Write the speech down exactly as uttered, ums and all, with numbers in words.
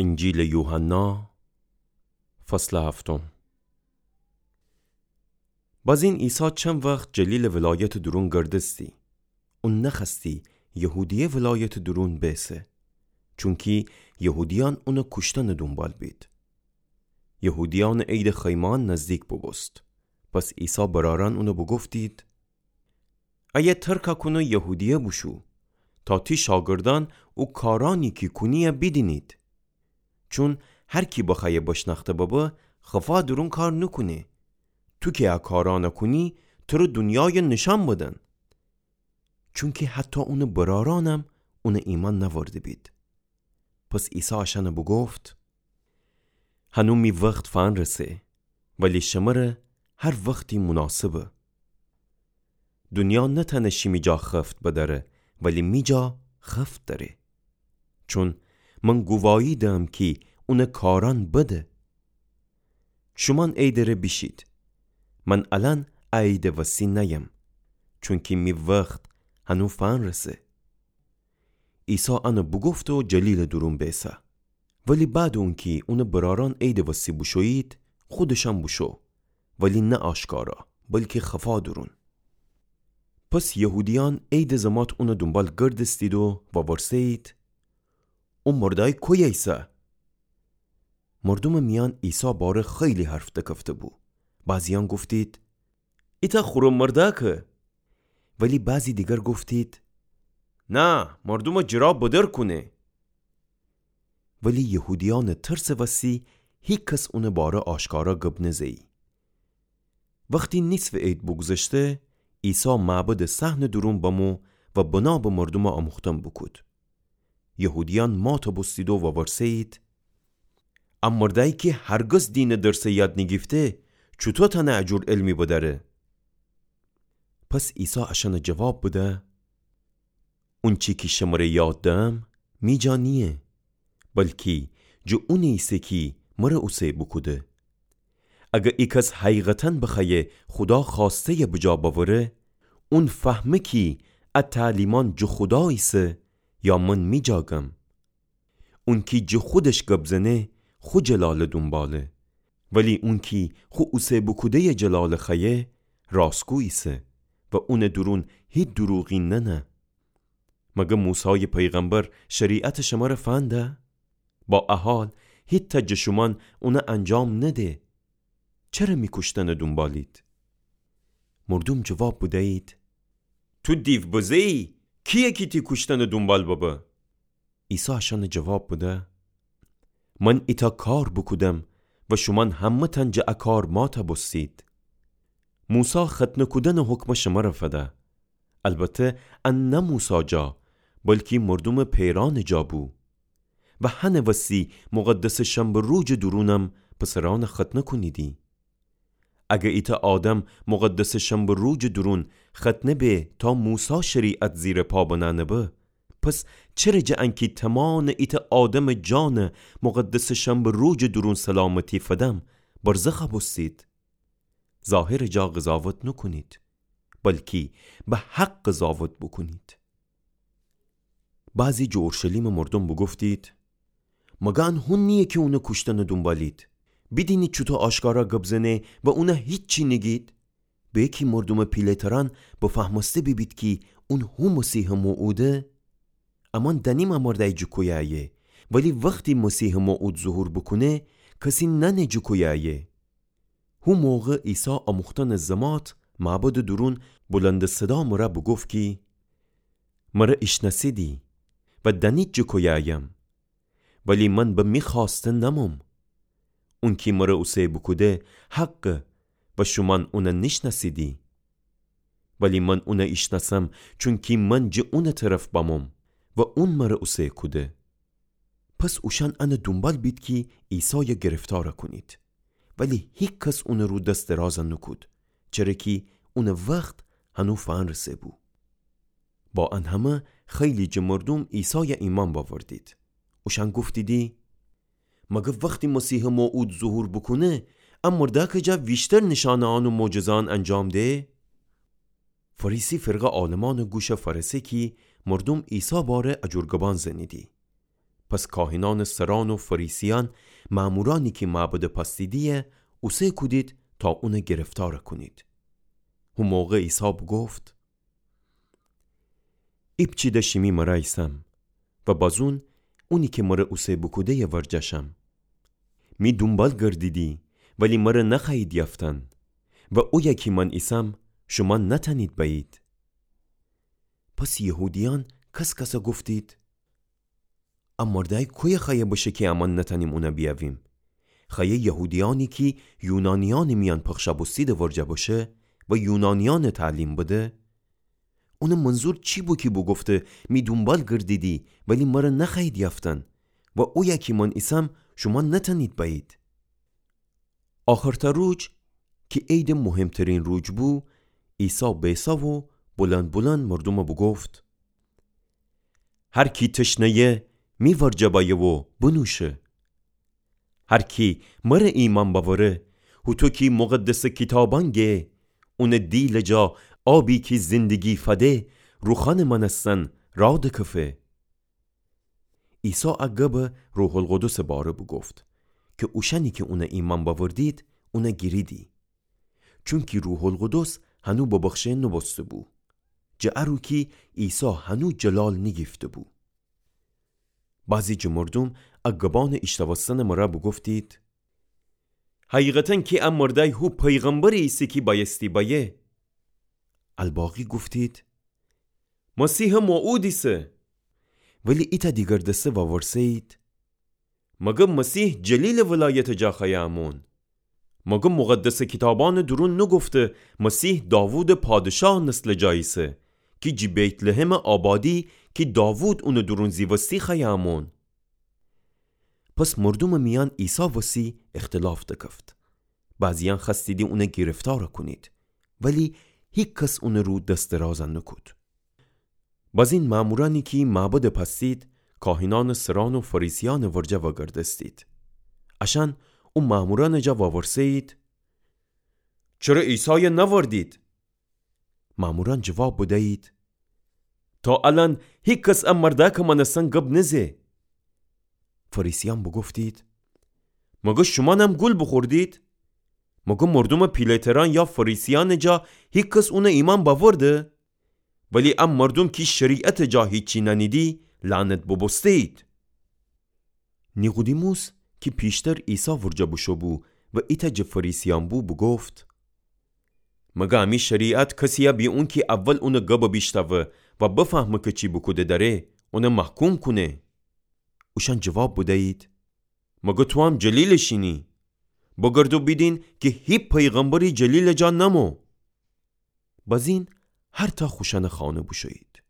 انجیلٚ یوحنا، فصلٚ هفتم. بازین عیسی چند وخت جلیلٚ ولایتٚ دورون گردستی. اون نخوأستی یهودیه ولایتٚ دورون بیسه، چونکی یهودیأن اونٚ کوشتنٚ دونبال بید. یهودیأنٚ عیدٚ خیمه‌یأن نزدیک بوبوست. پس عیسی برأرأن اونَ بوگفتید: ایه ترکَ کون و یهودیه بوشو، تا تی شاگردأن او کارأنی کی کونی‌یَ بیدینید. چون هر کی بخوأیه بشنأخته ببه، خفا دورون کار نوکونه. تو کی ا کارأنَ کونی، تره دونیایَ نیشأن بدن. چونکی حتی اونٚ برأرأنم اونَ ایمأن نأورده بید. پس عیسی اشأنَ بوگفت: هنو می وخت فنرسه، ولی شمره هر وختی مناسبه. دونیا نتأنه شیمی جا خفت بدأره، ولی می جا خفت دأره. چون من گووایی دهم کی اونٚ کارأن بده. شومأن عیدٚ ره بیشید. من الأن ا عیدٚ وسی نأیم، چونکی می وخت هنو فنرسه. عیسی انَ بوگفته و جلیلٚ دورون بیسه. ولی بعدٚ اونکی اونٚ برأرأن عیدٚ وسی بوشویید، خودشم بوشو، ولی نه آشکارا، بلکی خفا دورون. پس یهودیأن عیدٚ زمات اونٚ دونبال گردستید و وورسه‌یید: او مردأی کویه ایسه؟ مردومٚ میأن عیسی باره خیلی حرف دکفته بو. بعضی‌یأن گفتید: ایتأ خورم مردأکه. ولی بعضی دیگر گفتید: نه، مردومَ جٚه را بدر کونه. ولی یهودیأنٚ ترسٚ وسی هیکس اونٚ باره آشکارا گب نزه‌یی. وختی نیصفٚ عید بوگوذشته، عیسی معبدٚ صحنٚ دورون بمو و بنا به مردومَ آموختن بوکود. یهودیأن مات بوستید و وورسه‌یید: ا مردأیی کی هرگز دینٚ درسَ یاد نیگیفته، چوطو تأنه ا جور علمی بدأره؟ پس عیسی اشأنَ جواب بده: اونچی کی شمره یاد دهم، می جا نییه، بلکی جٚه اونی ایسه کی مره اوسه بوکوده. اگر ایکس حقیقتاً بخوأیه خودا خوأسته‌یَ بجا بأوره، اون فهمه کی ا تعلیمأن جٚه خودا ایسه یا من می جا گم. اونکی جٚه خودش گب زنه، خو جلالٚ دونباله. ولی اونکی خو اوسه بوکوده‌یٚ جلالَ خوأیه، راستگو ایسه و اونٚ دورون هیچ دروغی نأنه. مگر موسایٚ پیغمبر شریعتَ شمره فنده؟ با ا حال هیچتأ جٚه شومأن اونَ انجام نده. چره می کوشتنَ دونبالید؟ مردوم جواب بدیید: تو دیو بزه‌یی، کییه کی تی کوشتنٚ دونبال ببه؟ عیسی اشأنَ جواب بده: من ایتأ کار بوکودم و شومأن همه‌تأن جٚه ا کار مات بوستید. موسی ختنه کودنٚ حکمَ شمره فده. البته ان نه موسی جا، بلکی مردومٚ پئرأنٚ جا بو. و هنٚ وستی مقدسٚ شنبه روجٚ دورونم پسرأنَ ختنه کونیدی. اگر ایتأ آدم مقدسٚ شنبه روجٚ دورون ختنه به تا موسی شریعت زیر پا بنأنه به، پس چره جٚه انکی تومانٚ ایتأ آدمٚ جانَ مقدسٚ شنبه روجٚ دورون سلامتی فدم، برزخَ بوستید؟ ظاهرٚ جا قضاوت نوکونید، بلکی به حق قضاوت بوکونید. بعضی جٚه اورشلیمٚ مردوم بوگفتید: مگر ان هون نییه کی اونٚ کوشتنٚ دونبالید؟ بیدینید چوطو آشکارا گب زنه و اونَ هیچی نیگید؟ به کی مردومٚ پیله‌ترأن بفهمسته بیبید کی اون هو مسیحٚ موعوده؟ امأن دأنیم ا مردأی جٚه کویه ایه، ولی وختی مسیحٚ موعود ظهور بوکونه، کسی نأنه جٚه کویه ایه. هو موقع عیسی آموختنٚ زمات معبدٚ دورون بلندٚ صدا مره بوگفت کی: مره ایشنأسیدی و دأنید جٚه کویه ایم، ولی من به می خوأسته نموم. اونکی مره اوسه بوکوده حقه و شومأن اونَ نیشنأسیدی. ولی من اونَ ایشنأسم، چونکی من جٚه اونٚ طرف بموم و اون مره اوسه کوده. پس اوشأن انٚ دونبال بید کی عیسایَ گرفتارَ کونید. ولی هیکس اونٚ رو دس درازَ نوکود، چره کی اونٚ وخت هنو فنرسه بو. با ان همه خیلی جٚه مردوم عیسایَ ایمأن بأوردید. اوشأن گفتیدی: مگر وختی مسیحٚ موعود ظهور بوکونه، ا مردأکٚ جا ویشتر نیشأنه‌یأن و معجزه‌یأن انجام ده؟ فریسی فرقه عالمأنٚ گوشَ فأرسه کی مردوم عیسی باره ا جور گبأن زنیدی. پس کاهنأنٚ سرأن و فریسیأن مأمورأنی کی معبدٚ پأستیدییه اوسه کودید تا اونَ گرفتارَ کونید. هو موقع عیسی بوگفت: ایپچیده شیمی مرأ ایسم و بازون اونی کی مرَ اوسه بوکوده‌یٚ ورجه شم. می دونبال گردیدی، ولی مرَ نخوأیید یافتن و اویه کی من ایسم شومأن نتأنید بأیید. پس یهودیأن کس‌کسَ گفتید: ا مردأی کویه خوأیه بشه کی امأن نتأنیم اونَ بیأویم؟ خوأیه یهودیأنی کی یونانیأنٚ میأن پخشَ بوستیدٚ ورجه بشه و یونانیأنَ تعلیم بده؟ اونٚ منظور چی بو کی بوگفته: می دونبال گردیدی، ولی مرَ نخوأیید یافتن و اویه کی من ایسم شومأن نتأنید بأیید؟ آخرتأ روج کی عیدٚ مهمترین روج بو، عیسی بئسا و بلندبلند مردومَ بوگفت: هر کی تشنه‌یه، می ورجه بأیه و بنوشه. هر کی مرَ ایمأن بأوره، هوطو کی مقدسٚ کیتابأن گه، اونٚ دیلٚ جا آبی کی زندگی فده روخانٚ مأنستن راه دکفه. عیسی ا گبَ روح‌القدسٚ باره بوگفت کی اوشأنی کی اونَ ایمأن بأوردید، اونَ گیریدی. چونکی روح‌القدس هنو ببخشه نوبوسته‌بو، جٚه ا رو کی عیسی هنو جلال نیگیفته‌بو. بعضی جٚه مردوم ا گبأنٚ ایشتوستنٚ مرأ بوگفتید: حقیقتاً کی ا مردأی هو پیغمبری ایسه کی بأیستی بأیه. الباقی گفتید: مسیحٚ موعود ایسه. ولی ایتأ دیگر دسته وورسه‌یید: مگر مسیح جلیلٚ ولایتٚ جا خوأیه امون؟ مگر مقدسٚ کیتابأنٚ دورون نوگفته مسیح داوودٚ پادشاه نسلٚ جا ایسه، کی جٚه بیت‌لحمٚ آبادی کی داوود اونٚ دورون زیوستی خوأیه امون؟ پس مردومٚ میأن عیسی وسی اختلاف دکفت. بعضیأن خوأستیدی اونَ گرفتارَ کونید، ولی هیکس اونٚ رو دس درازَ نوکود. بازین مأمورأنی کی معبدٚ پأستید، کاهنأنٚ سرأن و فریسیأنٚ ورجه وأگردستید. اشأن او مأمورأنٚ جا وأورسه‌یید: چره عیسایَ نأوردید؟ مأمورأن جواب بدیید: تا الأن هیکس ا مردأکٚ مأنستن گب نزه. فریسیأن بوگفتید: مگر شومأنم گول بوخوردید؟ مگر مردومٚ پیله‌ترأن یا فریسیأنٚ جا هیکس اونَ ایمأن بأورده؟ ولی ا مردوم کی شریعتٚ جا هیچی نأنیدی، لعنت بوبوسته‌یید. نیقودیموس کی پیشتر عیسی ورجه بوشو بو و ایتأ جٚه فریسیأن بو، بوگفت: مگر امی شریعت کسیَ بی اونکی اول اونٚ گبَ بیشتأوه و بفهمه کی چی بوکوده دأره، اونَ محکوم کونه؟ اوشأن جواب بدیید: مگر توام جلیلٚ شینی؟ بگردو بیدین کی هیچ پیغمبری جلیلٚ جا نمو. بازین هر تا خوشأنٚ خانه بوشویید.